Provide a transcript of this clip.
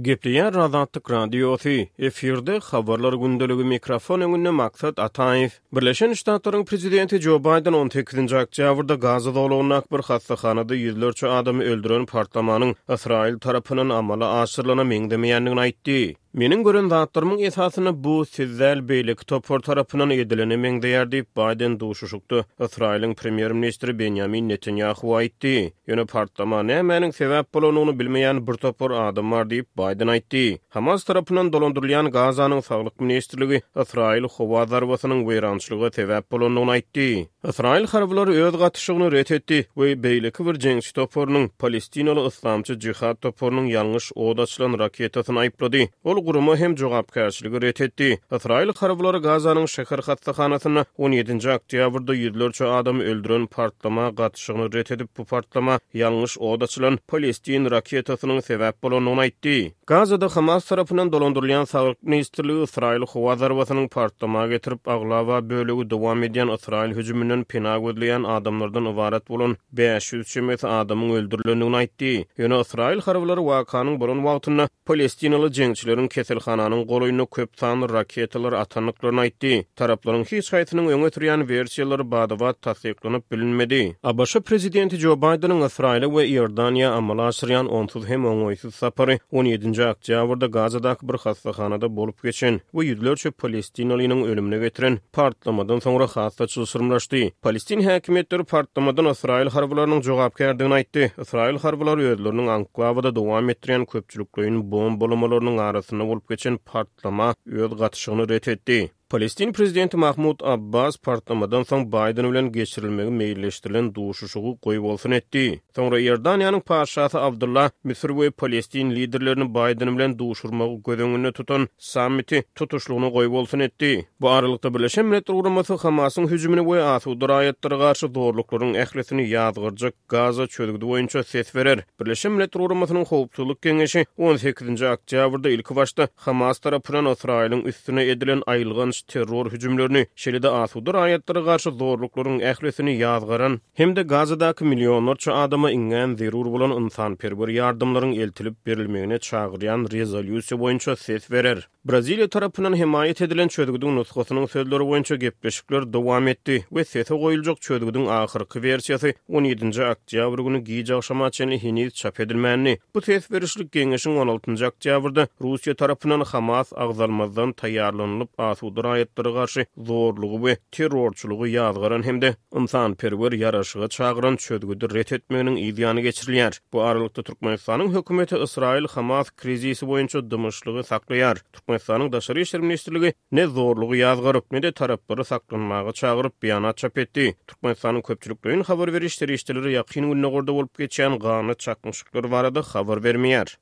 Gepleýär Azatlyk Radiosy, efirde Habarlar gündeligi mikrofon öňünde Maksat Ataýew. Birleşen Ştatlaryň prezidenti Jo Baýden on sekizinji oktýabrda Gaza zolagyndaky bir hassahanada ýüzlerçe adamy öldüren partlamanyň Ysraýyl tarapyndan amala aşyrylana meňzemeýändigini aýtdy. Meniň gören zatlarymyň esasynda bu siz däl beýleki topar tarapyndan edilene meňzeýär diýip, Baýden duşuşykda Ysraýylyň premýer-ministri Benýamin Netanýahuwa aýtdy. Ýöne partlama nämäniň sebäp bolandygyny bilmeýän bir topar adam bar diýip, Baýden aýtdy. Hamas tarapyndan dolandyrylýan Gazanyň Saglyk ministrligi Ysraýyl howa zarbasynyň weýrançylyga sebäp bolandygyny aýtdy. Ysraýyl harbylary öz gatyşygyny ret etdi we beýleki bir jeňçi toparynyň, palestinaly Yslamçy Jihad toparynyň ýalňyş od açylan raketasyny aýyplady. Ol gurama hem jogapkärçiligi ret etdi. Ysraýyl harbylary Gazanyň şäher hassahanasynda on ýedinji oktýabrda ýüzlerçe adamy öldüren partlama gatyşygyny ret edip, bu partlama ýalňyş od açylan palestin raketasynyň sebäp bolandygyny aýtdy. Gazada Hamas tarapyndan dolandyrylýan Saglyk ministrligi Ysraýyl howa zarbasynyň partlama getirip, aglaba bölegi dowam edýän Ysraýyl hüjüminden pena gözleýän adamlardan ybarat bolan 500 çemesi adamyň öldürilendigini aýtdy. Ýöne ysraýyl harbylary wakanyň bolan wagtynda palestinaly jeňçileriň keselhananyň golaýynda köp sanly raketalary atandyklaryny aýtdy. Taraplaryň hiç haýsynyň öňe sürýän wersiýalary bada-bat tassyklanyp bilinmedi. ABŞ prezidenti Jo Baýdeniň Ysraýyla we Iordaniýa amala aşyrýan onsuz hem oňaýsyz sapary on ýedinji oktýabrda Gazadaky bir hassahanada bolup geçen we ýüzlerçe palestinalynyň ölümine getiren partlamadan soňra has-da çylşyrymlaşdy. Palestin häkimiýetleri partlamadan ysraýyl harbylarynyň jogapkärdigini aýtdy. Ysraýyl harbylary özleriniň anklawada dowam etdirýän köpçülikleýin bombalamalarynyň arasynda bolup geçen partlama öz gatyşygyny ret etdi. Palestin prezidenti Mahmud Abbas partlamadan soň Baýden bilen geçirilmegi meýilleşdirilen duşuşygy goýbolsun etdi. Soňra Iordaniýanyň patyşasy Abdylla Müsür we palestin liderlerini Baýden bilen duşurmagy göz öňünde tutan sammiti tutuşlygyna goýbolsun etdi. Bu aralykda, Birleşen Milletler Guramasy Hamasyň hüjümini we asuda raýatlara garşy zorluklaryň ählisini ýazgarjak Gaza çözgüdi boýunça ses berer. Birleşen Milletler Guramasynyň Howpsuzlyk Geňeşi on sekizinji oktýabrda ilkibaşda Hamas tarapyndan Ysraýylyň üstüne edilen aýylganç terror hüjümlerini, şeýle-de asuda raýatlara garşy zorluklaryň ählisini ýazgaran hem-de Gazadaky millionlarça adama iňňän zerur bolan ynsanperwer ýardamlaryň eltilip berilmegine çagyrýan rezolýusiýa boýunça ses berer. Braziliýa tarapyndan hemaýat edilen çözgüdiň nusgasynyň sözleri boýunça gepleşikler dowam etdi we sese goýuljak çözgüdiň ahyrky wersiýasy on ýedinji oktýabr güni giç agşama çenli heniz çap edilmändi. Bu ses berişlik geňeşiň on altynjy oktýabrda Russiýa tarapyndan Hamas agzalmazdan taýýarlanylyp asuda raýatlara garşy zorlugy we terrorçylygy ýazgaran hem-de ynsanperwer ýaraşyga çagyran çözgüdi ret etmeginiň yz ýany geçirilýär. Bu aralykda, Türkmenistanyň hökümeti Ysraýyl-Hamas krizisi boýunça dymyşlygy saklaýar. Türkmenistanyň Daşary işler ministrligi ne zorlugy ýazgaryp, ne-de taraplary saklanmaga çagyryp, beýanat çap etdi. Türkmenistanyň köpçülikleýin habar beriş serişdeleri Ýakyn Gündogarda bolup geçýän ganly çaknyşyklar barada habar bermeýär.